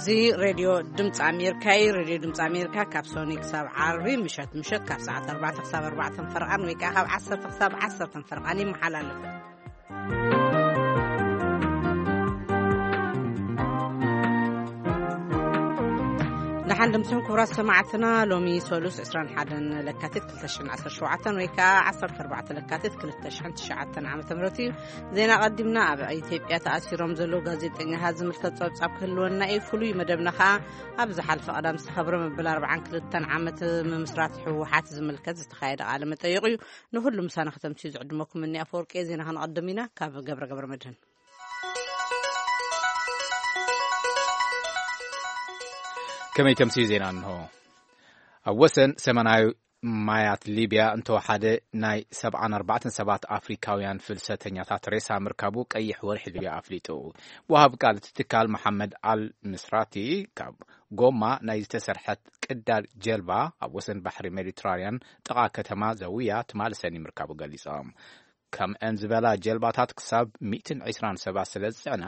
እዚ ሬድዮ ድምፂ ኣሜሪካ እዩ። ሬድዮ ድምፂ ኣሜሪካ ካብ ሶኒ ክሳብ ዓርቢ ምሸት ምሸት ካብ ሰዓት ኣርባዕተ ክሳብ ኣርባዕተ ፈርቓን ወይ ከዓ ካብ ዓሰርተ ክሳብ ዓሰርተ ፈርቓን ይመሓላለፍ። ደሓን ድምፅን ክቡራት ሰማዕትና፣ ሎሚ ሰሉስ ዕስራን ሓደን ለካቲት ክልተ ሽሕን ዓሰርተ ሸውዓተን ወይ ከዓ ዓሰርተ ኣርባዕተ ለካቲት ክልተ ሽሕን ትሽዓተን ዓመተ ምህረት እዩ። ዜና ቀዲምና። ኣብ ኢትዮጵያ ተኣሲሮም ዘለዉ ጋዜጠኛታት ዝምልከት ጸብጻብ ክህልወና እዩ። ፍሉይ መደብና ከኣ ኣብ ዝሓለፈ ቀዳም ዝተኸብረ መበል ኣርባዓን ክልተን ዓመት ምምስራት ህወሓት ዝምልከት ዝተኻየደ ቃለ መጠይቕ እዩ። ንኹሉ ምሳና ከተምስዩ ዝዕድመኩም እኒ ኣፈወርቂ። ዜና ከነቐድም ኢና ካብ ገብረ ገብረ መድህን። ከመይ ተምስዩ ዜና እንሆ። ኣብ ወሰን ሰሜናዊ ማያት ሊብያ እንተወሓደ ናይ ሰብዓን ኣርባዕተን ሰባት ኣፍሪካውያን ፍልሰተኛታት ሬሳ ምርካቡ ቀይሕ ወርሒ ሊብያ ኣፍሊጡ። ወሃብ ቃል እቲ ትካል መሓመድ ኣል ምስራቲ ካብ ጎማ ናይ ዝተሰርሐት ቅዳድ ጀልባ ኣብ ወሰን ባሕሪ ሜዲትራንያን ጥቓ ከተማ ዘውያ ትማሊ ሰኒ ምርካቡ ገሊጾም። ከምአን ዝበላ ጀልባታት ክሳብ ሚእትን ዕስራን ሰባት ስለ ዝጽዕና፣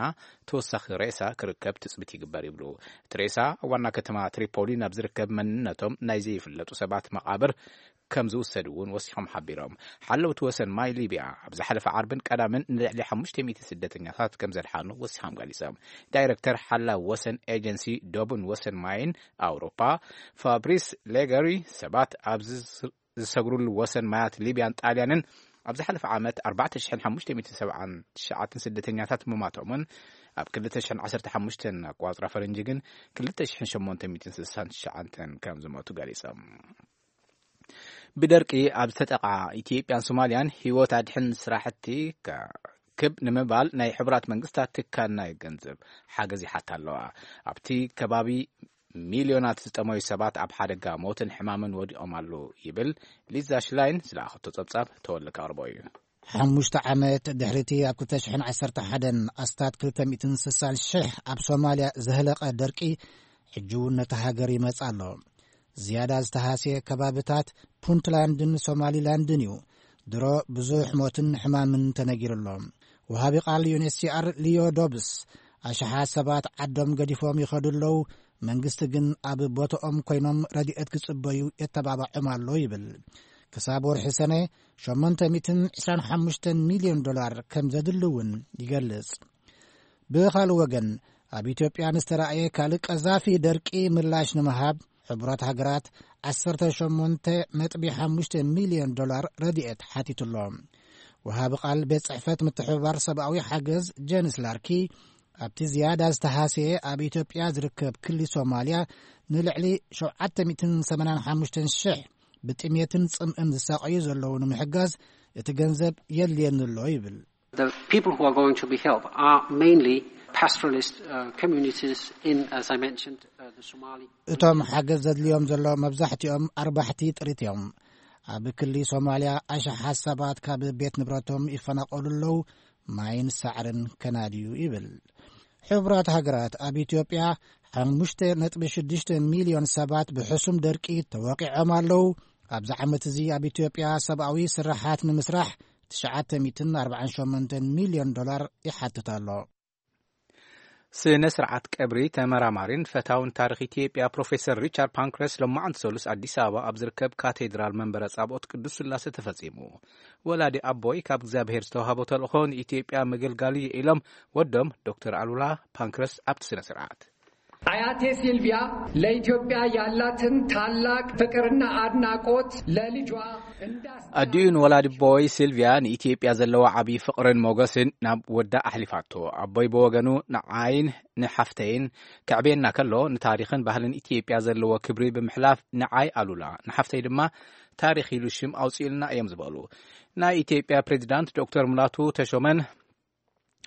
ተወሳኺ ሬሳ ክርከብ ትጽቢት ይግበር ይብሉ። እቲ ሬሳ ኣብ ዋና ከተማ ትሪፖሊ ናብ ዝርከብ መንነቶም ናይ ዘይፍለጡ ሰባት መቓብር ከም ዝውሰድ እውን ወሲኾም ሓቢሮም። ሓለውቲ ወሰን ማይ ሊብያ ኣብ ዝሓለፈ ዓርብን ቀዳምን ንልዕሊ ሓሙሽተ ሚእቲ ስደተኛታት ከም ዘድሓኑ ወሲኾም ገሊጾም። ዳይረክተር ሓላው ወሰን ኤጀንሲ ዶብን ወሰን ማይን ኣውሮፓ ፋብሪስ ሌገሪ ሰባት ኣብዚ ዝሰግሩሉ ወሰን ማያት ሊብያን ጣልያንን ኣብ ዝሓለፈ ዓመት ኣርባዕተ ሽሕን ሓሙሽተ ሚእትን ሰብዓን ትሽዓተን ስደተኛታት ምማቶምን ኣብ ክልተ ሽሕን ዓሰርተ ሓሙሽተን ኣቋጽራ ፈረንጂ ግን ክልተ ሽሕን ሸሞንተ ሚእትን ስሳን ትሽዓተን ከም ዝሞቱ ገሊጾም። ብደርቂ ኣብ ዝተጠቓ ኢትዮጵያን ሶማልያን ህይወት ኣድሕን ስራሕቲ ክብ ንምባል ናይ ሕቡራት መንግስታት ትካል ናይ ገንዘብ ሓገዝ ይሓታ ኣለዋ። ኣብቲ ከባቢ ሚልዮናት ዝጠመዩ ሰባት ኣብ ሓደጋ ሞትን ሕማምን ወዲቖም ኣለዉ ይብል። ሊዛ ሽላይን ዝለኣኸቶ ጸብጻብ ተወልደ ከቕርቦ እዩ። ሓሙሽተ ዓመት ድሕሪቲ ኣብ ክልተ ሽሕን ዓሰርተ ሓደን ኣስታት ክልተ ሚእትን ስሳን ሽሕ ኣብ ሶማልያ ዘህለቐ ደርቂ ሕጂ እውን ነታ ሃገር ይመጽእ ኣሎ። ዝያዳ ዝተሃስየ ከባብታት ፑንትላንድን ሶማሊላንድን እዩ። ድሮ ብዙሕ ሞትን ሕማምን ተነጊሩ ኣሎ። ወሃቢ ቃል ዩኤንኤችሲኣር ሊዮ ዶብስ ኣሽሓት ሰባት ዓዶም ገዲፎም ይኸዱ ኣለዉ፣ መንግስቲ ግን ኣብ ቦታኦም ኮይኖም ረድኤት ክጽበዩ የተባባዖም ኣሎ ይብል። ክሳብ ወርሒ ሰነ ሸሞንተ ሚእትን ዕስራን ሓሙሽተን ሚልዮን ዶላር ከም ዘድሊ እውን ይገልጽ። ብኻልእ ወገን ኣብ ኢትዮጵያ ንዝተራእየ ካልእ ቀዛፊ ደርቂ ምላሽ ንምሃብ ሕቡራት ሃገራት ዓሰርተ ሸሞንተ ነጥቢ ሓሙሽተ ሚልዮን ዶላር ረድኤት ሓቲቱ ኣሎ። ወሃቢ ቃል ቤት ጽሕፈት ምትሕብባር ሰብኣዊ ሓገዝ ጀንስ ላርኪ ኣብቲ ዝያዳ ዝተሃስየ ኣብ ኢትዮጵያ ዝርከብ ክሊ ሶማልያ ንልዕሊ ሸውዓተ ሚእትን ሰማንያን ሓሙሽተን ሽሕ ብጥሜትን ጽምእን ዝሳቐዩ ዘለዉ ንምሕጋዝ እቲ ገንዘብ የድልየኒ ኣሎ ይብል። The people who are going to be helped are mainly pastoralist uh, communities in, as I mentioned, uh, the Somali. እቶም ሓገዝ ዘድልዮም ዘሎ መብዛሕትኦም ኣርባሕቲ ጥሪት እዮም። ኣብ ክሊ ሶማልያ ኣሽሓት ሰባት ካብ ቤት ንብረቶም ይፈናቐሉ ኣለዉ፣ ማይን ሳዕርን ከናድዩ ይብል። ሕቡራት ሃገራት ኣብ ኢትዮጵያ ሓሙሽተ ነጥቢ ሽዱሽተ ሚልዮን ሰባት ብሕሱም ደርቂ ተወቒዖም ኣለዉ። ኣብዚ ዓመት እዚ ኣብ ኢትዮጵያ ሰብኣዊ ስራሓት ንምስራሕ ትሽዓተ ሚእትን ኣርባዓን ሸሞንተን ሚልዮን ዶላር ይሓትት ኣሎ። ስነ ስርዓት ቀብሪ ተመራማሪን ፈታውን ታሪኽ ኢትዮጵያ ፕሮፌሰር ሪቻርድ ፓንክረስ ሎማዕንቲ ሰሉስ ኣዲስ ኣበባ ኣብ ዝርከብ ካቴድራል መንበረ ጻብኦት ቅዱስ ስላሴ ተፈጺሙ። ወላዲ ኣቦይ ካብ እግዚኣብሔር ዝተዋህቦ ተልእኾ ንኢትዮጵያ ምግልጋል እዩ ኢሎም ወዶም ዶክተር ኣሉላ ፓንክረስ ኣብቲ ስነ ስርዓት። አያቴ ሲልቪያ ለኢትዮጵያ ያላትን ታላቅ ፍቅርና አድናቆት ለልጇ እንዳስ- ኣዲኡ ንወላዲ ኣቦይ ሲልቪያ ንኢትዮጵያ ዘለዋ ዓብዪ ፍቕርን ሞገስን ናብ ወዳ ኣሕሊፋቶ። ኣቦይ ብወገኑ ንዓይን ንሓፍተይን ከዕብየና ከሎ ንታሪኽን ባህልን ኢትዮጵያ ዘለዎ ክብሪ ብምሕላፍ ንዓይ ኣሉላ ንሓፍተይ ድማ ታሪኽ ኢሉ ሽም ኣውፅኡልና እዮም ዝበሉ። ናይ ኢትዮጵያ ፕሬዚዳንት ዶክተር ሙላቱ ተሾመን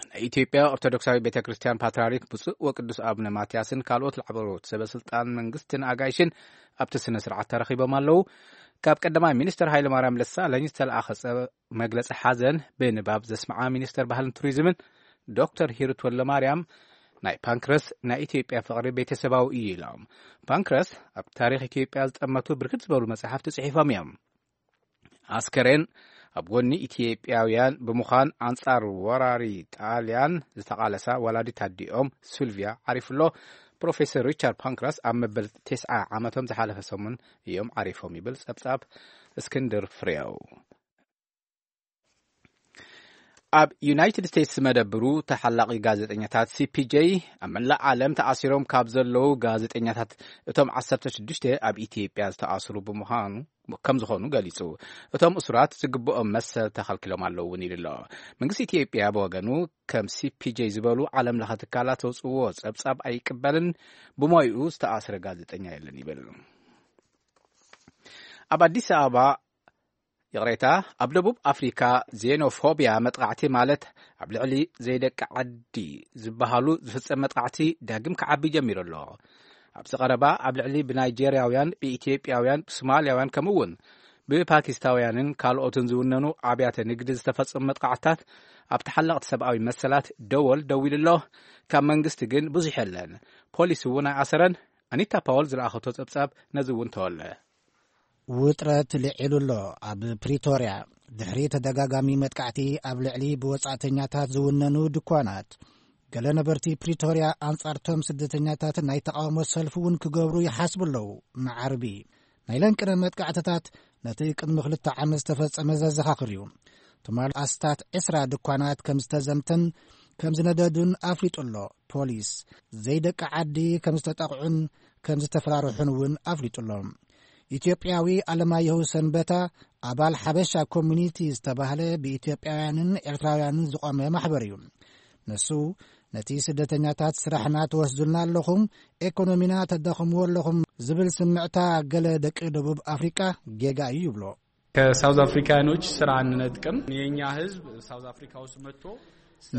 ናይ ኢትዮጵያ ኦርቶዶክሳዊ ቤተ ክርስቲያን ፓትርያርክ ብፁዕ ወቅዱስ ኣቡነ ማትያስን ካልኦት ላዕለዎት ሰበ ስልጣን መንግስትን ኣጋይሽን ኣብቲ ስነ ስርዓት ተረኺቦም ኣለዉ። ካብ ቀዳማይ ሚኒስትር ሃይለ ማርያም ደሳለኝ ዝተለኣኸ ጸ- መግለጺ ሓዘን ብንባብ ዘስምዓ ሚኒስትር ባህልን ቱሪዝምን ዶክተር ሂሩት ወልደማርያም ናይ ፓንክረስ ናይ ኢትዮጵያ ፍቕሪ ቤተሰባዊ እዩ ኢሎም። ፓንክረስ ኣብ ታሪኽ ኢትዮጵያ ዝጠመቱ ብርክት ዝበሉ መጻሕፍቲ ጽሒፎም እዮም። ኣስከሬን ኣብ ጎኒ ኢትዮጵያውያን ብምዃን ኣንጻር ወራሪ ጣልያን ዝተቓለሳ ወላዲት ኣዲኦም ሲልቪያ ዓሪፉ ኣሎ። ፕሮፌሰር ሪቻርድ ፓንክራስ ኣብ መበል ተስዓ ዓመቶም ዝሓለፈ ሰሙን እዮም ዓሪፎም ይብል ጸብጻብ እስክንድር ፍሬው። ኣብ ዩናይትድ ስቴትስ መደብሩ ተሓላቒ ጋዜጠኛታት ሲ ፒ ጄ ኣብ መላእ ዓለም ተኣሲሮም ካብ ዘለዉ ጋዜጠኛታት እቶም ዓሰርተ ሽዱሽተ ኣብ ኢትዮጵያ ዝተኣስሩ ብምዃኑ ከም ዝኾኑ ገሊጹ። እቶም እሱራት ዝግብኦም መሰል ተኸልኪሎም ኣለዉ እውን ኢሉ ኣሎ። መንግስቲ ኢትዮጵያ ብወገኑ ከም ሲ ፒ ጄ ዝበሉ ዓለም ለኸ ትካላት ዘውፅዎ ጸብጻብ ኣይቅበልን፣ ብሞይኡ ዝተኣስረ ጋዜጠኛ የለን ይብል። ኣብ ኣዲስ ኣበባ ይቕሬታ፣ ኣብ ደቡብ ኣፍሪካ ዜኖፎብያ መጥቓዕቲ ማለት ኣብ ልዕሊ ዘይደቂ ዓዲ ዝበሃሉ ዝፍጸም መጥቓዕቲ ዳግም ክዓቢ ጀሚሩ ኣሎ። ኣብዚ ቀረባ ኣብ ልዕሊ ብናይጄርያውያን፣ ብኢትዮጵያውያን፣ ብሶማልያውያን ከምኡ እውን ብፓኪስታውያንን ካልኦትን ዝውነኑ ኣብያተ ንግዲ ዝተፈጸሙ መጥቓዕትታት ኣብ ተሓለቕቲ ሰብኣዊ መሰላት ደወል ደዊሉ ኣሎ። ካብ መንግስቲ ግን ብዙሕ የለን። ፖሊስ እውን ኣይኣሰረን። ኣኒታ ፓወል ዝለኣኸቶ ጸብጻብ ነዚ እውን ተወለ። ውጥረት ልዒሉ ኣሎ። ኣብ ፕሪቶርያ ድሕሪ ተደጋጋሚ መጥቃዕቲ ኣብ ልዕሊ ብወጻእተኛታት ዝውነኑ ድኳናት፣ ገለ ነበርቲ ፕሪቶርያ ኣንጻርቶም ስደተኛታት ናይ ተቓውሞ ሰልፊ እውን ክገብሩ ይሓስቡ ኣለዉ። መዓርቢ ናይ ለንቅነ መጥቃዕትታት ነቲ ቅድሚ ክልተ ዓመት ዝተፈጸመ ዘዘኻኽር እዩ። ትማል ኣስታት ዕስራ ድኳናት ከም ዝተዘምተን ከም ዝነደዱን ኣፍሊጡ ኣሎ። ፖሊስ ዘይደቂ ዓዲ ከም ዝተጠቕዑን ከም ዝተፈራርሑን እውን ኣፍሊጡ ኣሎ። ኢትዮጵያዊ ኣለማየሁ ሰንበታ፣ ኣባል ሓበሻ ኮሚኒቲ ዝተባህለ ብኢትዮጵያውያንን ኤርትራውያንን ዝቖመ ማሕበር እዩ። ንሱ፣ ነቲ ስደተኛታት ስራሕና ትወስዱልና ኣለኹም፣ ኤኮኖሚና ተዳኽምዎ ኣለኹም ዝብል ስምዕታ ገለ ደቂ ደቡብ ኣፍሪቃ ጌጋ እዩ ይብሎ። ከሳውዝ አፍሪካኖች ስራ አንነጥቅም። የኛ ህዝብ ሳውዝ አፍሪካ ውስጥ መጥቶ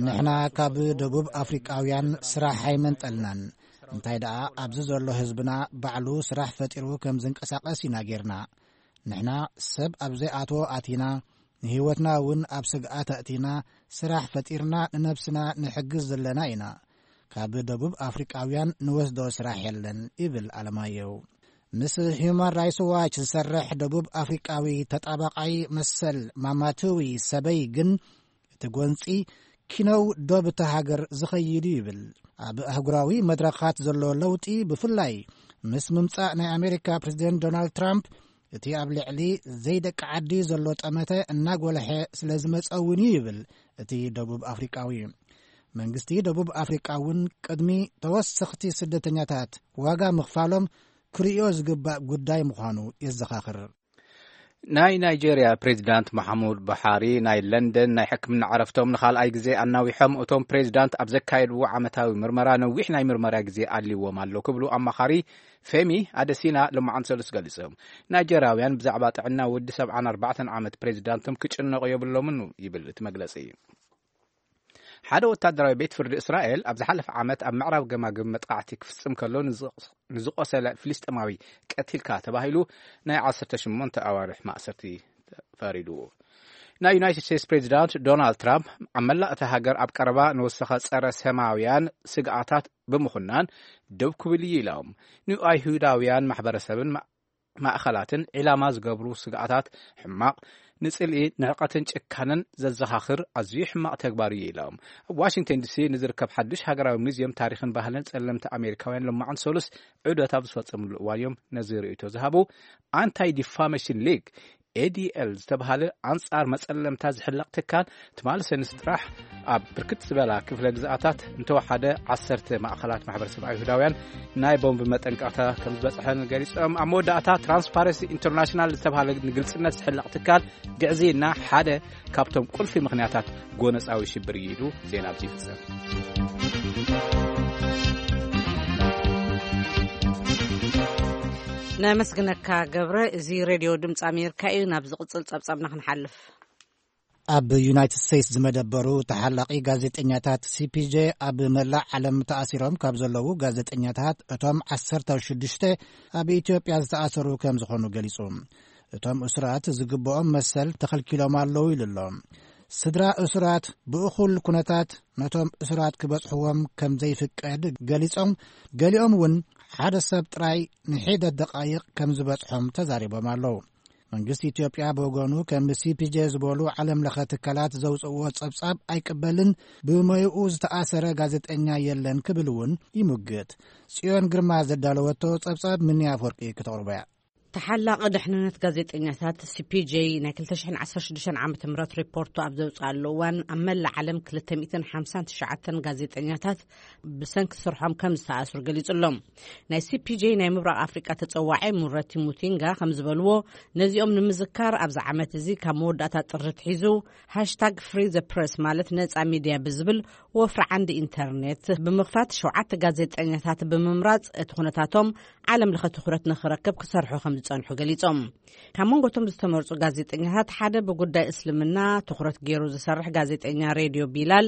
ንሕና ካብ ደቡብ ኣፍሪቃውያን ስራሕ ኣይመንጠልናን። እንታይ ደኣ፣ ኣብዚ ዘሎ ህዝብና ባዕሉ ስራሕ ፈጢሩ ከም ዝንቀሳቐስ ኢና ጌርና። ንሕና ሰብ ኣብ ዘይኣትዎ ኣቲና፣ ንህይወትና እውን ኣብ ስግኣት ኣእቲና፣ ስራሕ ፈጢርና ንነብስና ንሕግዝ ዘለና ኢና። ካብ ደቡብ ኣፍሪቃውያን ንወስዶ ስራሕ የለን ይብል ኣለማየሁ። ምስ ሂዩማን ራይትስ ዋች ዝሰርሕ ደቡብ ኣፍሪቃዊ ተጣባቃይ መሰል ማማትዊ ሰበይ ግን፣ እቲ ጎንጺ ኪነው ዶብ እታ ሃገር ዝኸይድ እዩ ይብል። ኣብ ኣህጉራዊ መድረኻት ዘሎ ለውጢ፣ ብፍላይ ምስ ምምጻእ ናይ ኣሜሪካ ፕሬዚደንት ዶናልድ ትራምፕ፣ እቲ ኣብ ልዕሊ ዘይደቂ ዓዲ ዘሎ ጠመተ እናጎልሐ ስለ ዝመጸ እውን እዩ ይብል እቲ ደቡብ ኣፍሪቃዊ። መንግስቲ ደቡብ ኣፍሪቃ እውን ቅድሚ ተወሰኽቲ ስደተኛታት ዋጋ ምኽፋሎም ክርእዮ ዝግባእ ጉዳይ ምዃኑ የዘኻኽር። ናይ ናይጄርያ ፕሬዚዳንት መሓሙድ ቡሓሪ ናይ ለንደን ናይ ሕክምና ዕረፍቶም ንኻልኣይ ግዜ ኣናዊሖም። እቶም ፕሬዚዳንት ኣብ ዘካየድዎ ዓመታዊ ምርመራ ነዊሕ ናይ ምርመራ ግዜ ኣልዎም ኣሎ ክብሉ ኣማኻሪ ፌሚ ኣደሲና ሎማዓንቲ ሰሉስ ገሊጾም። ናይጄርያውያን ብዛዕባ ጥዕና ወዲ ሰብዓን ኣርባዕተን ዓመት ፕሬዚዳንቶም ክጭነቑ የብሎምን ይብል እቲ መግለጺ። ሓደ ወታደራዊ ቤት ፍርዲ እስራኤል ኣብ ዝሓለፈ ዓመት ኣብ ምዕራብ ገማግም መጥቃዕቲ ክፍጽም ከሎ ንዝ-፣ ንዝቆሰለ ፍልስጤማዊ ቀቲልካ ተባሂሉ ናይ ዓሰርተ ሸሞንተ ኣዋርሕ ማእሰርቲ ፈሪዱ። ናይ ዩናይትድ ስቴትስ ፕሬዚዳንት ዶናልድ ትራምፕ ኣብ መላእ እታ ሃገር ኣብ ቀረባ ንወሰኸ ጸረ ሰማውያን ስግኣታት ብምኹናን፣ ደው ክብል እዩ ኢሎም። ንኣይሁዳውያን ማሕበረሰብን ማ-፣ ማእኸላትን ዒላማ ዝገብሩ ስግኣታት ሕማቕ፣ ንጽልኢ፣ ንዕቀትን ጭካነን ዘዘኻኽር ኣዝዩ ሕማቕ ተግባር እዩ ኢሎም። ኣብ ዋሽንግተን ዲሲ ንዝርከብ ሓዱሽ ሃገራዊ ሙዚየም ታሪኽን ባህልን ጸለምቲ ኣሜሪካውያን ሎማዕን ሰሉስ ዑደት ኣብ ዝፈጸምሉ እዋን እዮም ነዚ ርእይቶ ዝሃቡ። ኣንታይ ዲፋሜሽን ሊግ፣ ኤ ዲ ኤል፣ ዝተባሃለ ኣንጻር መጸለምታ ዝሕለቕ ትካል ትማሊ ሰንስ ጥራሕ ኣብ ብርክት ዝበላ ክፍለ ግዝኣታት እንተወሓደ ዓሰርተ ማእኸላት ማሕበረሰብ ኣይሁዳውያን ናይ ቦምብ መጠንቀቕታ ከም ዝበጽሐን ገሊጾም። ኣብ መወዳእታ ትራንስፓረንሲ ኢንተርናሽናል ዝተባሃለ ንግልጽነት ዝሕለቕ ትካል ግዕዝይና ሓደ ካብቶም ቁልፊ ምኽንያታት ጎነጻዊ ሽብር እዩ ኢሉ ዜና ኣብዚ ይፍጸም። ነመስግነካ ገብረ። እዚ ሬድዮ ድምፂ ኣሜሪካ እዩ። ናብ ዝቕፅል ጸብጻብና ክንሓልፍ። ኣብ ዩናይትድ ስቴትስ ዝመደበሩ ተሓላቒ ጋዜጠኛታት ሲ ፒ ጄ ኣብ መላእ ዓለም ተኣሲሮም ካብ ዘለዉ ጋዜጠኛታት እቶም ዓሰርተ ሽዱሽተ ኣብ ኢትዮጵያ ዝተኣሰሩ ከም ዝኾኑ ገሊጹ። እቶም እሱራት ዝግብኦም መሰል ተኸልኪሎም ኣለዉ ኢሉ ኣሎ። ስድራ እሱራት ብእኹል ኩነታት ነቶም እሱራት ክበጽሕዎም ከም ዘይፍቀድ ገሊጾም፣ ገሊኦም እውን ሓደ ሰብ ጥራይ ንሒደት ደቓይቕ ከም ዝበጽሖም ተዛሪቦም ኣለዉ። መንግስቲ ኢትዮጵያ ብወገኑ ከም ሲ ፒ ጄ ዝበሉ ዓለም ለኸ ትካላት ዘውፅእዎ ጸብጻብ ኣይቅበልን፣ ብሞይኡ ዝተኣሰረ ጋዜጠኛ የለን ክብል እውን ይሙግት። ጽዮን ግርማ ዘዳለወቶ ጸብጻብ ምንያ ኣፈወርቂ ክተቕርቦ እያ። ተሓላቒ ድሕንነት ጋዜጠኛታት ሲ ፒ ጄ ናይ ክልተ ሽሕን ዓሰርተ ሽዱሽተን ዓመተ ምህረት ሪፖርቱ ኣብ ዘውፅኣሉ እዋን፣ ኣብ መላእ ዓለም ክልተ ሚእትን ሓምሳን ትሽዓተን ጋዜጠኛታት ብሰንኪ ስርሖም ከም ዝተኣስሩ ገሊጹ ኣሎ። ናይ ሲ ፒ ጄ ናይ ምብራቕ ኣፍሪቃ ተጸዋዒ ሙረቲ ሙቲንጋ ከም ዝበልዎ፣ ነዚኦም ንምዝካር ኣብዚ ዓመት እዚ ካብ መወዳእታ ጥሪ ኣትሒዙ ሃሽታግ ፍሪ ዘ ፕረስ፣ ማለት ነጻ ሚድያ ብዝብል ወፍሪ ዓንዲ ኢንተርኔት ብምኽፋት ሸውዓተ ጋዜጠኛታት ብምምራጽ እቲ ኩነታቶም ዓለም ለኸ ትኹረት ንኽረክብ ክሰርሑ ከም ዝጸንሑ ገሊጾም። ካብ መንጎቶም ዝተመርጹ ጋዜጠኛታት ሓደ ብጉዳይ እስልምና ትኹረት ገይሩ ዝሰርሕ ጋዜጠኛ ሬድዮ ቢላል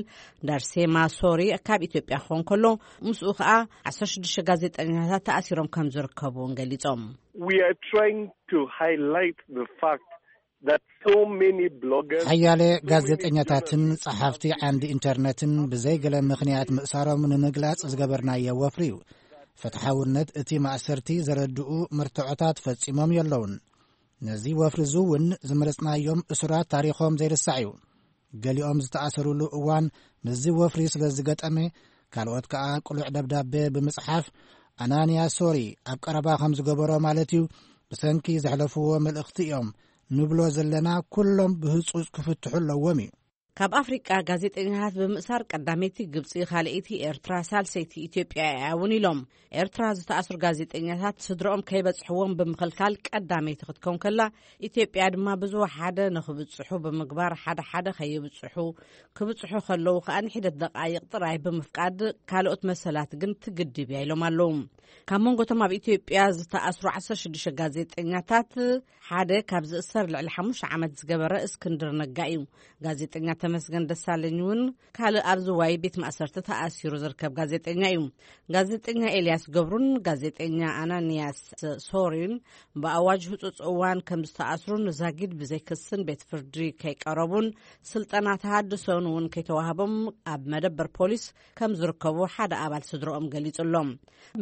ዳርሴማ ሶሪ ካብ ኢትዮጵያ ክኾን ከሎ፣ ምስኡ ከኣ ዓሰርተ ሽዱሽተ ጋዜጠኛታት ተኣሲሮም ከም ዝርከቡ እውን ገሊጾም። We are trying to highlight the fact that so many bloggers ሓያለ ጋዜጠኛታትን ጸሓፍቲ ዓንዲ ኢንተርነትን ብዘይ ገለ ምኽንያት ምእሳሮም ንምግላጽ ዝገበርናዮ ወፍሪ እዩ። ፍትሓውነት እቲ ማእሰርቲ ዘረድኡ መርትዖታት ፈጺሞም የለውን። ነዚ ወፍሪ እዚ እውን ዝመረጽናዮም እሱራት ታሪኾም ዘይርሳዕ እዩ። ገሊኦም ዝተኣሰሩሉ እዋን ምስዚ ወፍሪ ስለ ዝገጠመ፣ ካልኦት ከኣ ቅሉዕ ደብዳቤ ብምጽሓፍ፣ ኣናንያ ሶሪ ኣብ ቀረባ ከም ዝገበሮ ማለት እዩ፣ ብሰንኪ ዘሕለፍዎ መልእኽቲ እዮም ንብሎ ዘለና፣ ኩሎም ብህጹጽ ክፍትሑ ኣለዎም እዩ። ካብ ኣፍሪቃ ጋዜጠኛታት ብምእሳር ቀዳመይቲ ግብጺ፣ ካልኣይቲ ኤርትራ፣ ሳልሰይቲ ኢትዮጵያ እያ እውን ኢሎም። ኤርትራ ዝተኣስሩ ጋዜጠኛታት ስድረኦም ከይበጽሕዎም ብምኽልካል ቀዳመይቲ ክትከውን ከላ፣ ኢትዮጵያ ድማ ብዝወሓደ ንኽብጽሑ ብምግባር ሓደ ሓደ ከይብጽሑ፣ ክብጽሑ ከለዉ ከኣ ንሒደት ደቃይቕ ጥራይ ብምፍቃድ ካልኦት መሰላት ግን ትግድብ እያ ኢሎም ኣለዉ። ካብ መንጎቶም ኣብ ኢትዮጵያ ዝተኣስሩ ዓሰርተ ሽዱሽተ ጋዜጠኛታት ሓደ ካብ ዝእሰር ልዕሊ ሓሙሽተ ዓመት ዝገበረ እስክንድር ነጋ እዩ። ጋዜጠኛ ተመስገን ደሳለኝ እውን ካልእ ኣብ ዝዋይ ቤት ማእሰርቲ ተኣሲሩ ዝርከብ ጋዜጠኛ እዩ። ጋዜጠኛ ኤልያስ ገብሩን ጋዜጠኛ ኣናንያስ ሶሪን ብኣዋጅ ህጹጽ እዋን ከም ዝተኣስሩን ዛጊድ ብዘይ ክስን ቤት ፍርዲ ከይቀረቡን ስልጠና ተሃድሶን እውን ከይተዋህቦም ኣብ መደበር ፖሊስ ከም ዝርከቡ ሓደ ኣባል ስድረኦም ገሊጹ ኣሎ።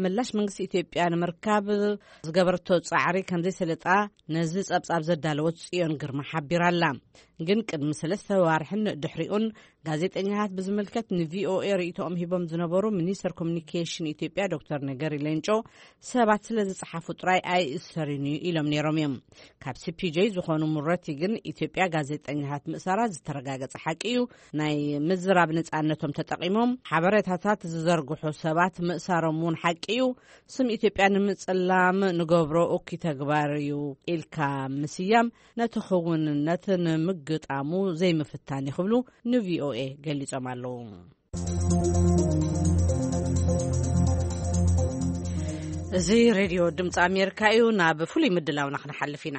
ምላሽ መንግስቲ ኢትዮጵያ ንምርካብ ዝገበረቶ ጻዕሪ ከም ዘይሰለጣ ነዚ ጸብጻብ ዘዳለወት ጽዮን ግርማ ሓቢራ ኣላ። ግን ቅድሚ ሰለስተ ዋርሕን ድሕሪኡን ጋዜጠኛታት ብዝምልከት ን ቪ ኦ ኤ ርእይቶኦም ሂቦም ዝነበሩ ሚኒስተር ኮሚኒኬሽን ኢትዮጵያ ዶክተር ነገሪ ሌንጮ፣ ሰባት ስለ ዝጸሓፉ ጥራይ ኣይእሰርን እዩ ኢሎም ነይሮም እዮም። ካብ ሲ ፒ ጄ ዝኾኑ ሙረቲ ግን፣ ኢትዮጵያ ጋዜጠኛታት ምእሳራ ዝተረጋገጸ ሓቂ እዩ፣ ናይ ምዝራብ ነጻነቶም ተጠቒሞም ሓበሬታታት ዝዘርግሑ ሰባት ምእሳሮም እውን ሓቂ እዩ፣ ስም ኢትዮጵያ ንምጽላም ንገብሮ እኩይ ተግባር እዩ ኢልካ ምስያም ነቲ ክውንነት ንምግጣሙ ዘይምፍታን እዩ ክብሉ ን ቪ ኦ ኤ ገሊጾም ኣለዉ። እዚ ሬድዮ ድምፂ ኣሜሪካ እዩ። ናብ ፍሉይ ምድላውና ክንሓልፍ ኢና።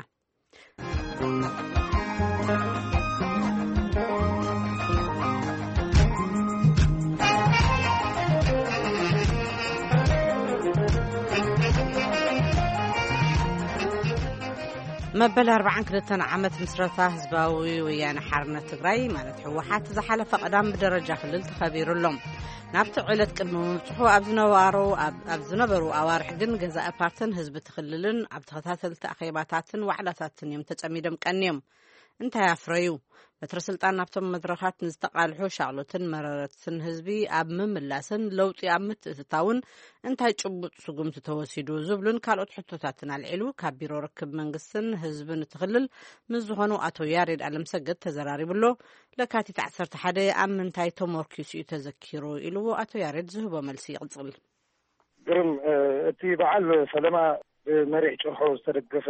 መበል ኣርባዓን ክልተን ዓመት ምስረታ ህዝባዊ ወያነ ሓርነት ትግራይ፣ ማለት ህወሓት፣ ዝሓለፈ ቀዳም ብደረጃ ክልል ተኸቢሩ ኣሎ። ናብቲ ዕለት ቅድሚ ምብጽሑ ኣብ ዝነበሩ፣ ኣብ፣ ኣብ ዝነበሩ ኣዋርሕ ግን ገዛኢ ፓርትን ህዝቢ እቲ ክልልን ኣብ ተኸታተልቲ ኣኼባታትን ዋዕላታትን እዮም ተጸሚዶም ቀንዮም። እንታይ ኣፍረዩ? በትሪ ስልጣን ናብቶም መድረኻት ንዝተቓልሑ ሻቕሎትን መረረትን ህዝቢ ኣብ ምምላስን ለውጢ ኣብ ምትእትታውን እንታይ ጭቡጥ ስጉምቲ ተወሲዱ ዝብሉን ካልኦት ሕቶታትን ኣልዒሉ ካብ ቢሮ ርክብ መንግስትን ህዝብን እቲ ክልል ምስ ዝኾኑ ኣቶ ያሬድ ኣለምሰገድ ተዘራሪቡ ኣሎ። ለካቲት ዓሰርተ ሓደ ኣብ ምንታይ ተመርኪሱ እዩ ተዘኪሩ ኢልዎ ኣቶ ያሬድ ዝህቦ መልሲ ይቕጽል። ግርም፣ እ፣ እቲ በዓል ፈለማ ብመሪሕ ጭርሖ ዝተደገፈ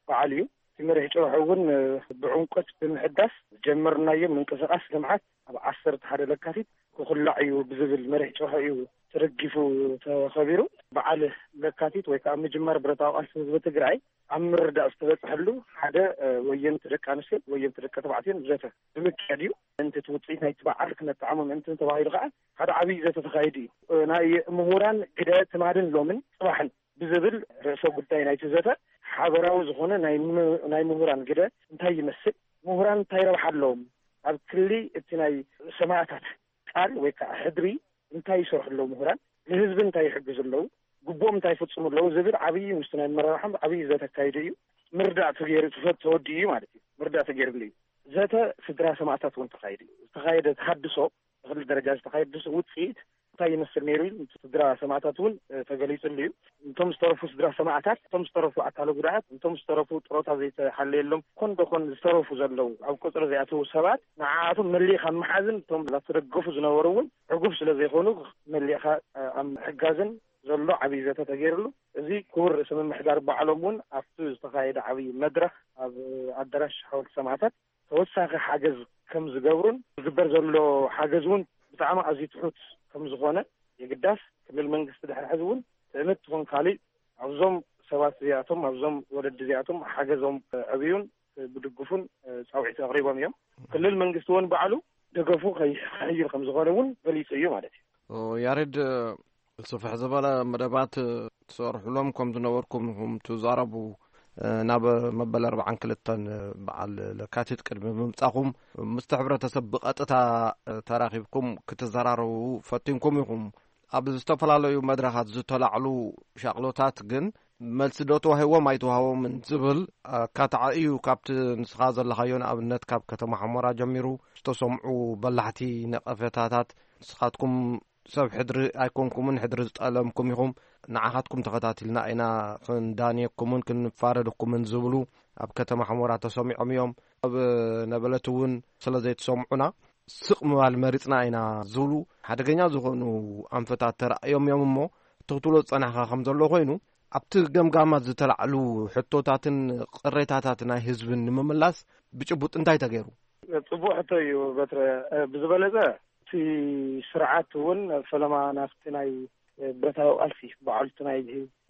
በዓል እዩ። እቲ መሪሕ ጭርሖ እውን፣ እ፣ ብዕምቆት ብምሕዳስ ዝጀመርናዮ ምንቅስቓስ ልምዓት ኣብ ዓሰርተ ሓደ ለካቲት ክኹላዕ እዩ ብዝብል መሪሕ ጭርሖ እዩ ተደጊፉ ተኸቢሩ። በዓል ለካቲት ወይ ከዓ ምጅማር ብረታዊ ቃልሲ ህዝቢ ትግራይ ኣብ ምርዳእ ዝተበፅሐሉ ሓደ፣ እ፣ ወየንቲ ደቂ ኣንስትዮን ወየንቲ ደቂ ተባዕትዮን ዘተ ብምክያድ እዩ። ምእንቲ እቲ ውፅኢት ናይቲ በዓል ክነጠዓሞ ምእንቲ ተባሂሉ ከዓ ሓደ ዓብዪ ዘተ ተኻይዱ እዩ። እ፣ ናይ ምሁራን ግደ ትማልን ሎምን ፅባሕን ብዝብል ርእሰ ጉዳይ ናይቲ ዘተ ሓበራዊ ዝኾነ ናይ ም-፣ ናይ ምሁራን ግደ እንታይ ይመስል፣ ምሁራን እንታይ ረብሓ ኣለዎም፣ ኣብ ክሊ እቲ ናይ ሰማእታት ቃል ወይ ከዓ ሕድሪ እንታይ ይሰርሑ ኣለዉ ምሁራን፣ ንህዝቢ እንታይ ይሕግዙ ኣለዉ፣ ግቡኦም እንታይ ይፍጽሙ ኣለዉ ዝብል ዓብዪ ምስቲ ናይ ኣመራርሓ ዓብዪ ዘተ ኣካይዱ እዩ። ምርዳእ ተገይሩ፣ ተፈ-፣ ተወዲኡ እዩ ማለት እዩ። ምርዳእ ተገይሩሉ እዩ። ዘተ ስድራ ሰማእታት እውን ተኻይዱ እዩ። ዝተኻየደ ተሃድሶ፣ ብክልል ደረጃ ዝተኻየደ ውፅኢት እንታይ ይመስል ነይሩ ኢሉ ስድራ ሰማእታት እውን፣ እ፣ ተገሊጹሉ እዩ። እቶም ዝተረፉ ስድራ ሰማእታት፣ እቶም ዝተረፉ ኣካለ ጉዳኣት፣ እቶም ዝተረፉ ጥሮታ ዘይተሓለየሎም ኮን ደኮን ዝተረፉ ዘለዉ ኣብ ቆጽሪ ዘይኣተዉ ሰባት ንዓኣቶም መሊእኻ ምሓዝን እቶም ላተደገፉ ዝነበሩ እውን ዕጉብ ስለ ዘይኮኑ መሊእኻ፣ እ፣ ኣብ ምሕጋዝን ዘሎ ዓብዪ ዘተ ተገይሩሉ። እዚ ክቡር ርእሰ ምምሕዳር ባዕሎም እውን ኣብቲ ዝተኻየደ ዓብዪ መድረኽ ኣብ ኣዳራሽ ሓወልቲ ሰማእታት ተወሳኺ ሓገዝ ከም ዝገብሩን ዝግበር ዘሎ ሓገዝ እውን ብጣዕሚ ኣዝዩ ትሑት ከም ዝኾነ የግዳስ ክልል መንግስቲ ድሕሪ ሕዚ እውን ትእምት ትኹን ካሊእ ኣብዞም ሰባት እዚኣቶም ኣብዞም ወለዲ እዚኣቶም ሓገዞም ዕብዩን ብድግፉን ፃውዒት ኣቕሪቦም እዮም። ክልል መንግስቲ እውን ባዕሉ ደገፉ ከይሕይል ከም ዝኾነ እውን ገሊፁ እዩ ማለት እዩ። ያሬድ፣ ስፍሕ ዝበለ መደባት ትሰርሕሎም ከም ዝነበርኩም ኢኹም ትዛረቡ። ናብ መበል ኣርባዓን ክልተን በዓል ለካቲት ቅድሚ ምምጻኹም ምስቲ ሕብረተሰብ ብቐጥታ ተራኺብኩም ክትዘራረቡ ፈቲንኩም ኢኹም። ኣብ ዝተፈላለዩ መድረኻት ዝተላዕሉ ሻቕሎታት ግን መልሲ ዶ ተዋሂቦም ኣይተዋህቦምን ዝብል ኣካታዒ እዩ። ካብቲ ንስኻ ዘለኻዮ ንኣብነት ካብ ከተማ ሓሞራ ጀሚሩ ዝተሰምዑ በላሕቲ ነቐፌታታት ንስኻትኩም ሰብ ሕድሪ ኣይኮንኩምን፣ ሕድሪ ዝጠለምኩም ኢኹም፣ ንዓኻትኩም ተኸታቲልና ኢና ክንዳንየኩምን ክንፋረደኩምን ዝብሉ ኣብ ከተማ ሓሞራ ተሰሚዖም እዮም። ኣብ ነበለት እውን ስለ ዘይተሰምዑና ስቕ ምባል መሪጽና ኢና ዝብሉ ሓደገኛ ዝኾኑ ኣንፈታት ተራእዮም እዮም። እሞ እቲ ክትብሎ ዝጸናሕካ ከም ዘሎ ኮይኑ ኣብቲ ገምጋማት ዝተላዕሉ ሕቶታትን ቅሬታታት ናይ ህዝብን ንምምላስ ብጭቡጥ እንታይ ተገይሩ? ጽቡቕ ሕቶ እዩ በትረ። ብዝበለጸ እቲ ስርዓት እውን ፈለማ ናብቲ ናይ ብረታዊ ቃልሲ በዓልቲ ናይ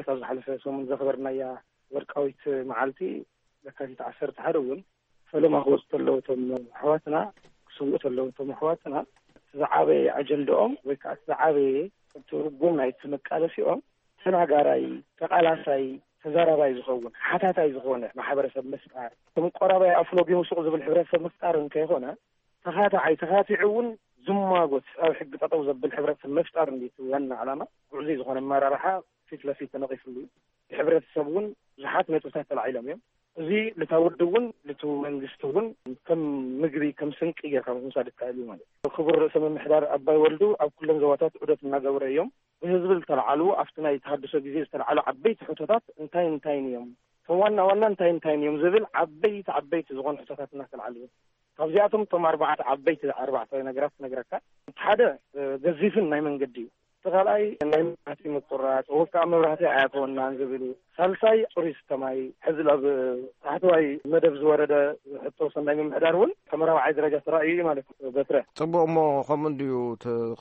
ካብ ዝሓለፈ ሰሙን ዘኽበርናያ ወርቃዊት መዓልቲ ለካቲት ዓሰርተ ሓደ እውን ፈለማ ክወፁ ተለዉ እቶም ኣሕዋትና ክስውኡ ተለዉ እቶም ኣሕዋትና እቲ ዝዓበየ ኣጀንዳኦም ወይ ከዓ እቲ ዝዓበየ ትርጉም ናይቲ መቃለሲኦም ተናጋራይ፣ ተቃላሳይ፣ ተዛራባይ ዝኸውን ሓታታይ ዝኾነ ማሕበረሰብ ምፍጣር፣ ከም ቆራባይ ኣፍሎጊሙ ሱቕ ዝብል ሕብረተሰብ ምፍጣር እንከይኮነ ተኻታዓይ ተኻቲዑ እውን ዝማጎት ኣብ ሕጊ ጠጠው ዘብል ሕብረተሰብ ምፍጣር እንዲቲ ዋና ዓላማ። ጉዕዙይ ዝኾነ ኣመራርሓ ፊት ለፊት ተነቒፍሉ እዩ። ብሕብረተሰብ እውን ብዙሓት ነጥብታት ተላዒሎም እዮም። እዚ ልታ ውድብ እውን ልቱ መንግስቲ እውን ከም ምግቢ ከም ስንቂ ጌርካ ምውሳድ ይከኣል እዩ ማለት እዩ። ክቡር ርእሰ ምምሕዳር ኣባይ ወልዱ ኣብ ኩለን ዞባታት ዑደት እናገበረ እዮም። ብህዝቢ ዝተለዓሉ ኣብቲ ናይ ተሃድሶ ግዜ ዝተለዓሉ ዓበይቲ ሕቶታት እንታይ እንታይን እዮም፣ እቶም ዋና ዋና እንታይ እንታይን እዮም ዝብል ዓበይቲ ዓበይቲ ዝኾኑ ሕቶታት እናተለዓሉ እዮም። ካብዚኣቶም እቶም ኣርባዕተ ዓበይቲ ኣርባዕተ ነገራት ክነግረካ። እቲ ሓደ ገዚፍን ናይ መንገዲ እዩ። እቲ ካልኣይ ናይ መብራህቲ ምቁራፅ ወይ ከዓ መብራህቲ ኣያተወናን ዝብል እዩ። ሳልሳይ ፅሩይ ስተ ማይ ሕዚ ኣብ ታሕተዋይ መደብ ዝወረደ ሕቶ ሰናይ ምምሕዳር እውን ከም ራብዓይ ደረጃ ተራእዩ እዩ ማለት እዩ። በትረ። ፅቡቅ እሞ ከምኡ እንድዩ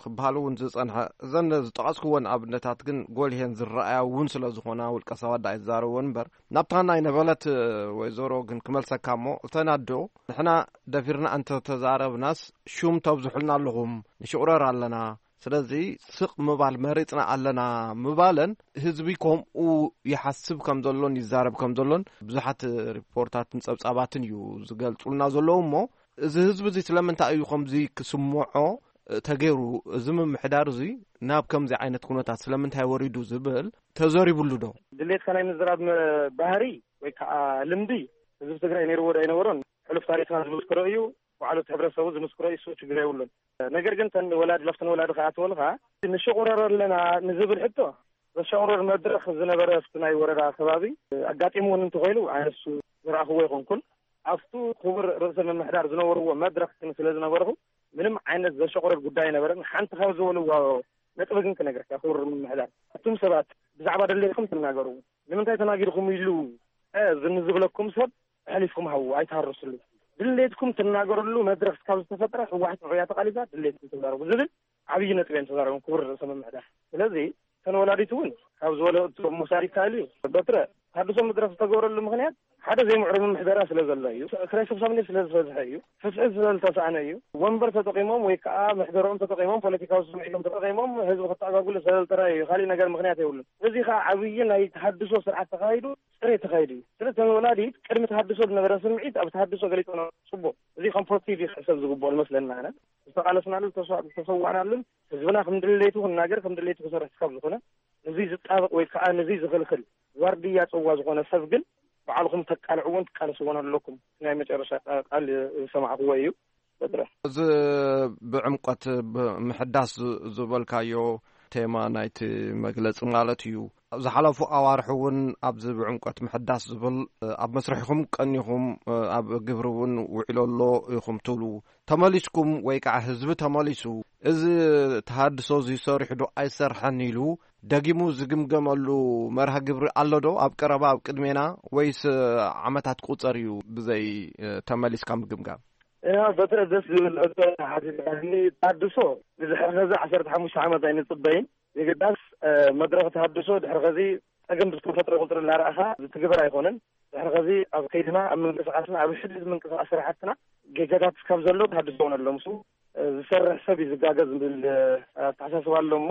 ክበሃል እውን ዝፀንሐ እዘን ዝጠቐስክወን ኣብነታት ግን ጎልሄን ዝረኣያ እውን ስለ ዝኾና ውልቀ ሰባት ዳ ኣይዛረብዎን እምበር ናብታ ናይ ነበለት ወይዘሮ ግን ክመልሰካ እሞ እተን ኣዶ ንሕና ደፊርና እንተተዛረብናስ ሹም ተብዝሑልና ኣለኹም ንሽቑረር ኣለና ስለዚ ስቕ ምባል መሪጽና ኣለና ምባለን ህዝቢ ከምኡ ይሓስብ ከም ዘሎን ይዛረብ ከም ዘሎን ብዙሓት ሪፖርታትን ጸብጻባትን እዩ ዝገልጹልና ዘለዉ እሞ እዚ ህዝቢ እዚ ስለምንታይ እዩ ከምዚ ክስምዖ ተገይሩ እዚ ምምሕዳር እዚ ናብ ከምዚ ዓይነት ኩነታት ስለምንታይ ወሪዱ ዝብል ተዘሪብሉ ዶ? ድሌትካ ናይ ምዝራብ ባህሪ ወይ ከዓ ልምዲ ህዝቢ ትግራይ ነይርዎ ዶ ኣይነበሮን ሕሉፍ ታሪክና ዝምስክሮ እዩ። ባዕሉ እቲ ሕብረተሰቡ ዝምስክሮ እዩ። እሱ ችግር የብሉን። ነገር ግን ተን ወላዲ ለፍተን ወላዲ ከኣትወልካ ንሽቁረር ኣለና ንዝብል ሕቶ ዘሻቁረር መድረክ ዝነበረ ኣብቲ ናይ ወረዳ ከባቢ ኣጋጢሙ እውን እንተኮይኑ ኣነሱ ዝረኣኽዎ ይኮንኩን ኣብቱ ክቡር ርእሰ ምምሕዳር ዝነበርዎ መድረክ ግን ስለ ዝነበርኩ ምንም ዓይነት ዘሸቁረር ጉዳይ ነበረን። ሓንቲ ካብ ዝበልዎ ነጥቢ ግን ክነግረካ ክቡር ምምሕዳር እቱም ሰባት ብዛዕባ ደሌትኩም ትናገሩ ንምንታይ ተናጊርኩም ኢሉ ዝንዝብለኩም ሰብ ኣሕሊፍኩም ሃቡ ኣይትሃርስሉ ድሌትኩም ትናገርሉ መድረክ ካብ ዝተፈጠረ ህወሓት ንዑያ ተቃሊሳ ድሌትኩም ትዛረቡ ዝብል ዓብዪ ነጥቢ እዮም ተዛረቦም ክቡር ርእሰ ምምሕዳር። ስለዚ እተን ወላዲት እውን ካብ ዝበለኦ መውሳድ ይከኣል እዩ። በትረ ተሃድሶ መድረክ ዝተገበረሉ ምክንያት ሓደ ዘይምዕሩይ ምምሕደራ ስለ ዘሎ እዩ። ክራይ ሰብሳብነት ስለ ዝበዝሐ እዩ። ፍትሒ ስለ ዝተሰኣነ እዩ። ወንበር ተጠቂሞም ወይ ከዓ ምሕደርኦም ተጠቂሞም ፖለቲካዊ ስምዒቶም ተጠቂሞም ህዝቢ ክተኣጋግሉ ስለ ዝተራእዩ እዩ። ካሊእ ነገር ምክንያት የብሉን። እዚ ከዓ ዓብዪ ናይ ተሃድሶ ስርዓት ተካሂዱ ፅሬት ተኻይዱ እዩ። ስለዚ እተን ወላዲት ቅድሚ ተሃድሶ ዝነበረ ስምዒት ኣብ ተሃድሶ ገሊፀን ጽቡቕ። እዚ ኮንስትራክቲቭ እዩ ክሕሰብ ዝግብኦ ዝመስለና ኣነ። ዝተቓለስናሉን ዝተሰዋዕናሉን ህዝብና ከም ድሌቱ ክናገር ከም ድሌቱ ክሰርሕ ካብ ዝኾነ ንዙይ ዝጣበቕ ወይ ከዓ ንዙይ ዝኽልክል ዋርድያ ጽዋ ዝኾነ ሰብ ግን ባዕልኹም ተቃልዕዎን ትቃለስዎን ኣለኩም። ናይ መጨረሻ ቃ-፣ ቃል ዝሰማዕክዎ እዩ። በድረ። እዚ ብዕምቆት ብ-፣ ምሕዳስ ዝ-፣ ዝበልካዮ ቴማ ናይቲ መግለጺ ማለት እዩ። ዝሓለፉ ኣዋርሒ እውን ኣብዚ ብዕምቆት ምሕዳስ ዝብል፣ እ፣ ኣብ መስርሕኹም ቀኒኹም፣ እ፣ ኣብ ግብሪ እውን ውዒሉ ኣሎ ኢኹም ትብሉ። ተመሊስኩም ወይ ከዓ ህዝቢ ተመሊሱ፣ እዚ ተሃድሶ እዚ ሰሪሑ ዶ ኣይሰርሐን ኢሉ ደጊሙ ዝግምገመሉ መርሃ ግብሪ ኣሎ ዶ ኣብ ቀረባ፣ ኣብ ቅድሜና፣ ወይስ ዓመታት ቁጸር እዩ ብዘይ፣ እ፣ ተመሊስካ ምግምጋም? ያ፣ በትረ ደስ ዝብል ሕቶ ሓቲትካኒ። ተሃድሶ ንድሕሪ ሕዚ ዓሰርተ ሓሙሽተ ዓመት ኣይንጽበይን። የግዳስ፣ እ፣ መድረኽ ተሃድሶ ድሕሪ ኸዚ ጸገም ብዝተፈጥረ ቁጽሪ እናረኣኻ ዝትግበር ኣይኮነን። ድሕሪ ኸዚ ኣብ ከይድና፣ ኣብ ምንቅስቓስና፣ ኣብ ሕድሕድ ምንቅስቓስ ስራሕትና ጌጋታት እስካብ ዘሎ ተሃድሶ እውን ኣሎ። ምስኡ፣ እ፣ ዝሰርሕ ሰብ እዩ ዝጋገ ዝብል፣ እ፣ ኣተሓሳስባ ኣሎ እሞ፣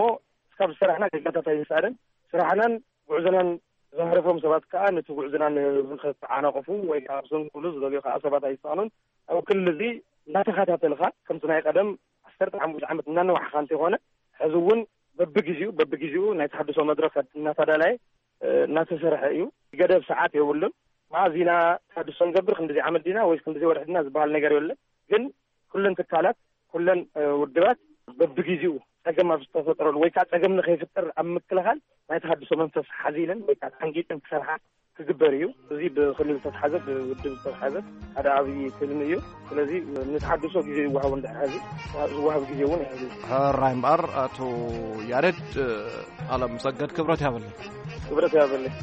እስካብ ዝሰራሕና ጌጋታት ኣይንስኣንን። ስራሕናን ጉዕዞናን ዘህረፎም ሰባት ከኣ ነቲ ጉዕዞና ን-፣ ንኸተዓናቕፉ ወይ ከኣ ክሰንኩሉ ዝደልዩ ከኣ ሰባት ኣይሰኣኑን። ኣብ ክሊ እዚ እናተኸታተልካ፣ ከምቲ ናይ ቀደም ዓሰርተ ሓሙሽተ ዓመት እናነዋሕኻ እንተይኮነ፣ ሕዚ እውን በብግዜኡ፣ በብግዜኡ ናይ ተሃድሶ መድረኻት እናተዳለየ፣ እ፣ እናተሰርሐ እዩ። ገደብ ሰዓት የብሉን። መዓዝ ኢና ተሃድሶ ንገብር፣ ክንድዚ ዓመት ዲና ወይስ ክንድዚ ወርሒ ዲና ዝበሃል ነገር የለን። ግን ኩለን ትካላት፣ ኩለን፣ እ፣ ውድባት በብግዜኡ ጸገም ኣብ ዝተፈጠረሉ ወይ ከዓ ጸገም ንኸይፍጠር ኣብ ምክልኻል ናይ ተሃድሶ መንፈስ ሓዚለን ወይ ከዓ ተሓንጊጠን ክሰርሓ ክግበር እዩ። እዚ ብክልል ዝተትሓዘ፣ ብውድብ ዝተትሓዘ ሓደ ዓብዪ ትልሚ እዩ። ስለዚ ንተሃድሶ ግዜ ይወሃቦ፣ እንድሕር ሕዚ ዝወሃብ ግዜ እውን እዩ። ሕራይ እምበኣር ኣቶ ያሬድ፣ ቃለ መሰገድ ክብረት ያበለይ። ክብረት ያበለይ።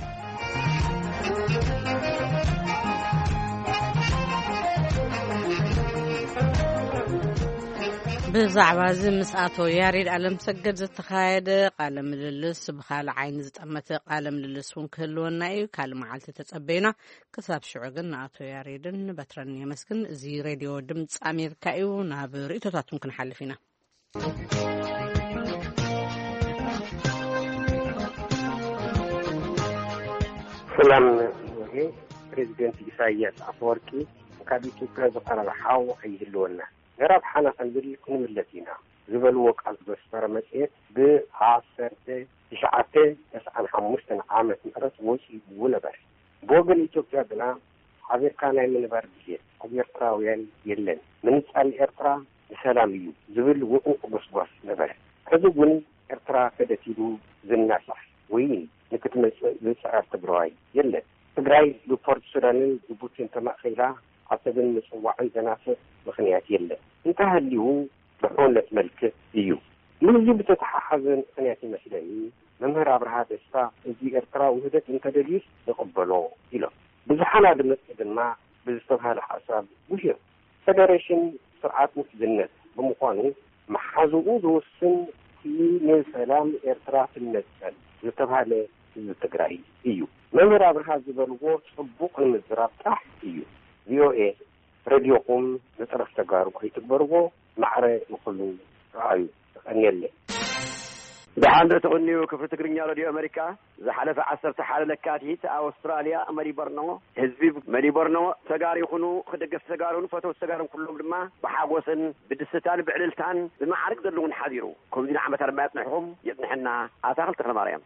ብዛዕባ እዚ ምስ ኣቶ ያሬድ ኣለምሰገድ ዝተኻየደ ቃለ ምልልስ፣ ብኻልእ ዓይኒ ዝጠመተ ቃለ ምልልስ እውን ክህልወና እዩ። ካልእ መዓልቲ ተጸበዩና። ክሳብ ሽዑ ግን ንኣቶ ያሬድን ንበትረን የመስግን። እዚ ሬድዮ ድምፂ ኣሜሪካ እዩ። ናብ ርእይቶታቱን ክንሓልፍ ኢና። ሰላም። ፕሬዚደንት ኢሳያስ ኣፈወርቂ ካብ ኢትዮጵያ ዝቐረበ ሓው ኣይህልወና፣ ንረብሓና ክንብል ክንምለስ ኢና ዝበልዎ ቃል ዘስፈረ መጽሔት ብዓሰርተ ትሽዓተ ተስዓን ሓሙሽተን ዓመት ምሕረት ወጺኡ ነበረ። ብወገን ኢትዮጵያ ግና ሓቢርካ ናይ ምንባር ድሌት ኣብ ኤርትራውያን የለን። ምንጻል ኤርትራ ንሰላም እዩ ዝብል ውዑቕ ጎስጓስ ነበረ። ሕዚ እውን ኤርትራ ከደት ኢሉ ዝናሳሕ ወይ ንክትመጽእ ዝጽዕር ትግራዋይ የለን። ትግራይ ብፖርት ሱዳንን ጅቡቲን ተማእኺላ ዓሰብን ምጽዋዕን ዘናፍዕ ምኽንያት የለን። እንተሃልዩ ብሕውነት መልክዕ እዩ። ምስዚ ብተተሓሓዘ ምኽንያት ይመስለኒ መምህር ኣብርሃ ደስታ፣ ህዝቢ ኤርትራ ውህደት እንተደልዩስ ንቕበሎ ኢሎም። ብዙሓን ኣድመፅቲ ድማ ብዝተባህለ ሓሳብ ውሂሩ። ፈደሬሽን ስርዓት ውሕድነት ብምዃኑ መሓዝኡ ዝውስን እቲ ንሰላም ኤርትራ ትነፀል ዝተባህለ ህዝቢ ትግራይ እዩ። መምህር ኣብርሃ ዝበልዎ ፅቡቕ ንምዝራብ ጥራሕ እዩ። ቪኦኤ ሬድዮኹም ንጥረፍ ተጋሩ ኣይትግበርዎ፣ ማዕረ ንኹሉ ረኣዩ። ተቐንየለይ። ደሓን ዶ ትቕንዩ? ክፍሊ ትግርኛ ሬድዮ ኣመሪካ። ዝሓለፈ ዓሰርተ ሓደ ለካቲት ኣውስትራልያ መሊበርኖ፣ ህዝቢ መሊበርኖ ተጋሩ ይኹኑ፣ ደገፍቲ ተጋሩን ፈተውቲ ተጋሩን ኩሎም ድማ ብሓጎስን ብድስታን ብዕልልታን ብማዕርግ ዘለውን ሓዲሩ። ከምዚ ንዓመታት ድማ የጽንሕኹም፣ የጽንሐና። ኣታኽልቲ ተኽለማርያም።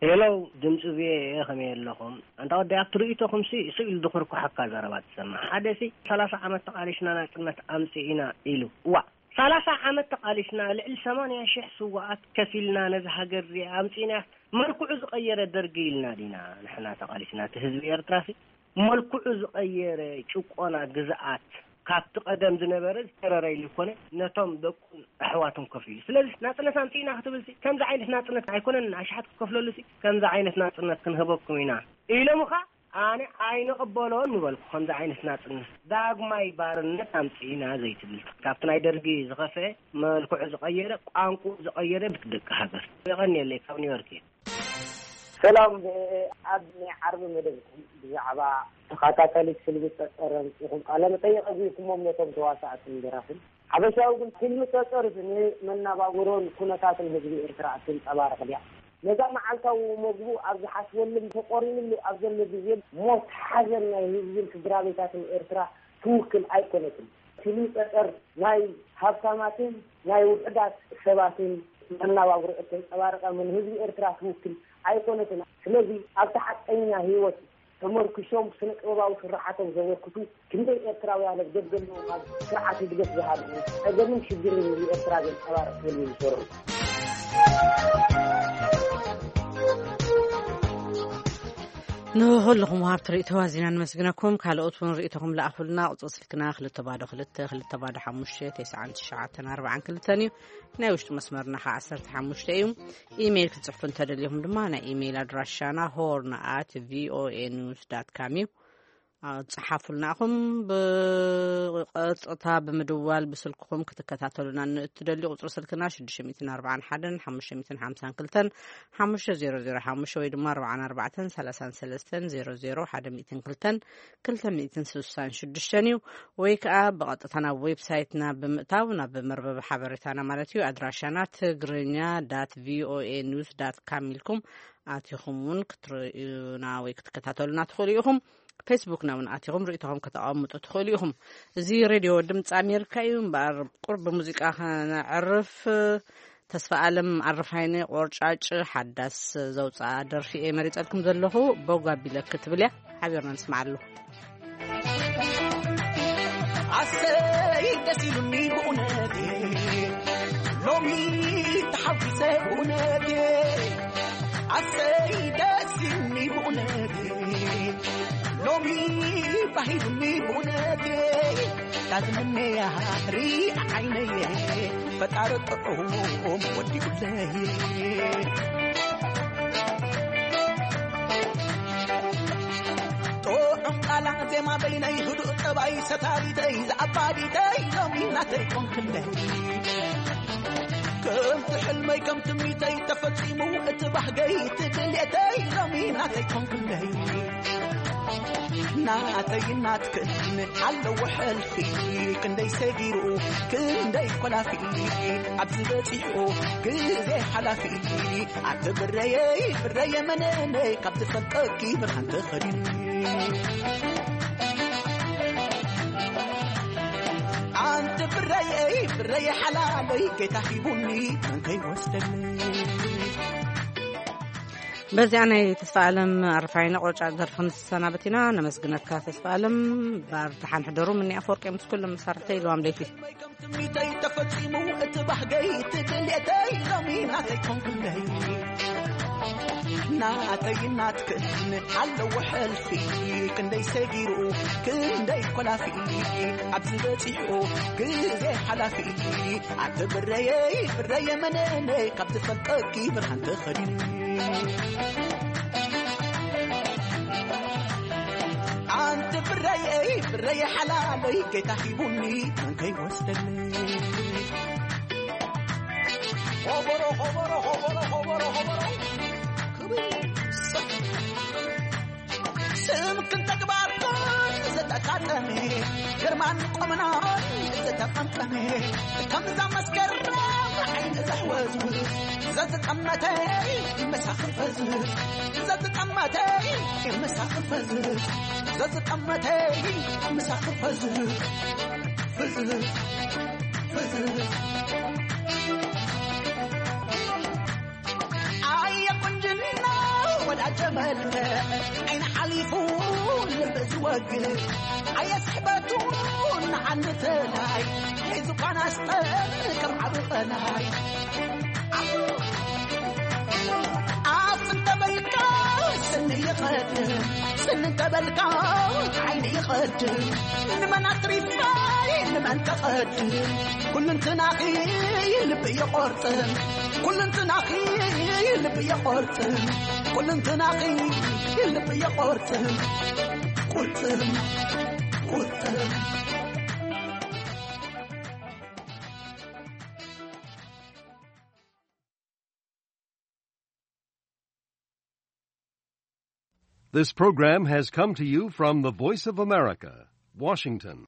ሄሎ፣ ድምፂ ቪኦኤ፣ ከመይ ኣለኹም? ኣንታ ወዲ፣ ኣብቲ ርእይቶኹም ሲ ስቕ ኢሉ ድኹርኩሓካ ዘረባ ትሰምዕ። ሓደ ሲ ሰላሳ ዓመት ተቓሊስና ናጽነት ኣምጺእና ኢሉ። እዋእ፣ ሰላሳ ዓመት ተቓሊስና፣ ልዕሊ ሰማንያ ሽሕ ስዋኣት ከፊልና ነዚ ሃገር እዚኣ ኣምጺእና። መልክዑ ዝቐየረ ደርጊ ኢልና ዲና ንሕና ተቓሊስና? እቲ ህዝቢ ኤርትራ ሲ መልክዑ ዝቐየረ ጭቆና፣ ግዝኣት፣ ካብቲ ቀደም ዝነበረ ዝተረረ ኢሉ ይኮነ፣ ነቶም ደቁን ኣሕዋቱን ከፊሉ። ስለዚ ናጽነት ኣምጺእና ክትብል ሲ ከምዚ ዓይነት ናጽነት ኣይኮነን፣ ኣሽሓት ክትከፍለሉ ሲ ከምዚ ዓይነት ናጽነት ክንህበኩም ኢና ኢሎምኻ፣ ኣነ ኣይንቕበሎን ምበልኩ። ከምዚ ዓይነት ናጽነት ዳግማይ ባርነት ኣምጺእና ዘይትብል፣ ካብቲ ናይ ደርጊ ዝኸፍአ፣ መልክዑ ዝቐየረ፣ ቋንቋ ዝቐየረ ብትደቂ ሃገር። የቐንየለይ፣ ካብ ኒውዮርክ እየ። ሰላም፣ ብ-፣ ኣብ ናይ ዓርቢ መደብኩም ብዛዕባ ተኸታታሊት ፊልም ጸጸር ኣምጺእኩም ቃለ መጠይቕ ኣግቢርኩሞም ነቶም ተዋሳእትን ደራፍን። ሓበሻዊ ግን ፊልም ጸጸር ንመናባብሮን ኩነታትን ህዝቢ ኤርትራ እትንጸባርቕ ድያ? ነዛ መዓልታዊ መግቡ ኣብ ዝሓስበሉን ተቖሪንሉ ኣብ ዘሎ ግዜን ሞት ሓዘን ናይ ህዝብን ስድራ ቤታትን ኤርትራ ትውክል ኣይኮነትን። ፊልም ጸጸር ናይ ሃብታማትን ናይ ውሑዳት ሰባትን መናባብሮ እተንጸባርቐ ምን ህዝቢ ኤርትራ ትውክል ኣይኮነትን። ስለዚ ኣብቲ ሓቀኛ ህይወት ተመርኪሶም ስነ ጥበባዊ ስርዓቶም ዘበርክቱ ክንደይ ኤርትራውያን ኣብ ደገ ኣለዉ፣ ካብ ስርዓት ህግደፍ ዝሃድሙ ጸገምን ሽግርን ህዝቢ ኤርትራ ዘንጸባርቕ ፊልም ዝሰርሑ። ንኹልኹም ወሃብቲ ርእይቶ ኣዚና ነመስግነኩም። ካልኦት እውን ርእይቶኹም ለኣኹልና። ቁጽሪ ስልክና ክልተ ባዶ ክልተ፣ ክልተ ባዶ ሓሙሽተ፣ ተስዓን ትሽዓተን ኣርባዓን ክልተን እዩ። ናይ ውሽጢ መስመርና ኸዓ ዓሰርተ ሓሙሽተ እዩ። ኢሜይል ክትጽሕፉ እንተደሊኹም ድማ ናይ ኢሜይል ኣድራሻና ሆርን ኣት ቪኦኤ ኒውስ ዳት ካም እዩ። አ፣ ጽሓፉልና ኢኹም። ብቐጥታ ብምድዋል ብስልክኹም ክትከታተሉና ንእትደልዩ ቁጽሪ ስልክና ሽዱሽተ ሚእትን ኣርባዓን ሓደን ሓሙሽተ ሚእትን ሓምሳን ክልተን ሓሙሽተ ዜሮ ዜሮ ሓሙሽተ ወይ ድማ ኣርባዓን ኣርባዕተን ሰላሳን ሰለስተን ዜሮ ዜሮ ሓደ ሚእትን ክልተን ክልተ ሚእትን ስሳን ሽዱሽተን እዩ። ወይ ከኣ ብቐጥታ ናብ ዌብሳይትና ብምእታው ናብ መርበብ ሓበሬታና ማለት እዩ ኣድራሻና ትግርኛ ዳት ቪኦኤ ኒውስ ዳት ካም ኢልኩም ኣቲኹም እውን ክትርእዩና ወይ ክትከታተሉና ትኽእሉ ኢኹም። ፌስቡክና እውን ኣቲኹም ርእይቶኹም ከተቐምጡ ትኽእሉ ኢኹም። እዚ ሬድዮ ድምፂ ኣሜሪካ እዩ። እምበኣር ቁርብ ሙዚቃ ከነዕርፍ፣ ተስፋ ኣለም ኣረፋይነ ቆርጫጭ ሓዳስ ዘውፅኣ ደርፊ እየ መሪፀልኩም ዘለኹ። በጓ ቢለክ ትብል እያ። ሓቢርና ንስምዓሉ። ኣሰይ ደስ ኢሉኒ ብእውነቴ፣ ሎሚ ተሓጒሰ ብእውነቴ። ኣሰይ ደስ ኢሉኒ ብእውነቴ፣ ሎሚ ባሂሉኒ ብእውነቴ። ዳዝመነያ ሪኣ ዓይነየ፣ ፈጣሪ ጥዑም ወዲኡለይ። ጥዑም ቃላ ዜማ በይነይ፣ ህዱእ ጠባይ ሰታሪተይ፣ ዝኣባዲተይ፣ ሎሚ ናተይ ኮንክለይ። ከምቲ ሕልመይ ከም ትምኒተይ ተፈጺሙ፣ እቲ ባህገይ እቲ ድሌተይ፣ ሎሚ ናተይ ኮንክለይ። ናተይ ናትክን ኣለዎ ሕልፊ፣ ክንደይ ሰጊሩ ክንደይ ኮላፊ፣ ኣብዚ በጺሑ ግዜ ሓላፊ። ኣቲ ብረየይ ብረየ መነነይ፣ ካብ ዝፈልጠኪ ብርሃን ተኸዲኑ። ኣንቲ ብረየይ ብረየ ሓላለይ፣ ጌታ ሂቡኒ መን ከይወስደኒ። በዚኣ ናይ ተስፋ ኣለም ኣረፋይነ ቆርጫ ደርፊ ንሰናበት ኢና። ነመስግነካ ተስፋ ኣለም። ባር ደሓን ሕደሩ። ምኒ ኣፈወርቂ ምስ ኩሎም መሳርሕተይ ኢልዋም ለይቲ። ትምኒተይ ተፈጺሙ፣ እቲ ባህገይ እቲ ድሌተይ፣ ሎሚ ናተይ ኮንክለይ። ናተይ ናትክን ኣለዎ ሕልፊ፣ ክንደይ ሰጊሩ ክንደይ ኮላፊ፣ ኣብዚ በጺሑ ግዜ ሓላፊ። ኣቲ ብረየይ ብረየ መነነይ፣ ካብ ዝፈልጠኪ ብርሃን ተኸዲኑ። ኣንቲ ብረየይ ብረየ ሓላለይ፣ ጌታ ሂቡኒ መን ከይወስደኒ። ኾበሮ ኾበሮ ኾበሮ ኾበሮ ኾበሮ። ክብር ይስጥ። ስምክን ተግባርክን ዝተጣጠመ፣ ግርማን ቁምናን ዝተጠምጠመ፣ ከምዛ መስከረም ዓይኒ ዘሕወዝውዝ፣ ዘዝጠመተ ምሳኺ ፈዝዝ፣ ዘዝጠመተ ምሳኺ ፈዝዝ፣ ዘዝጠመተ ምሳኺ ፈዝዝ፣ ፈዝዝ፣ ፈዝዝ። ኣየ ቁንጅና ወዳጀ መልክዕ፣ ዓይኒ ሓሊፉ ልቢ ዝወግእ፣ ኣየ ስሕበቱ ንዓኒ ተላይ፣ ሒዙ ኳና ስጠን ከም ዓቢ ቀላይ። ኣፍ እንተበልካ ስኒ ይቐድም፣ ስኒ እንተበልካ ዓይኒ ይቐድም። ንመን ኣትሪፋይ ንመን ተቐድም፣ ኩልንትናኺ ልቢ ይቖርጥም፣ ኩልንትናኺ ልቢ ይቖርጥም፣ ኩልንትናኺ ልቢ ይቖርጥም፣ ቁርጥም፣ ቁርጥም። This program has come to you from the Voice of America, Washington.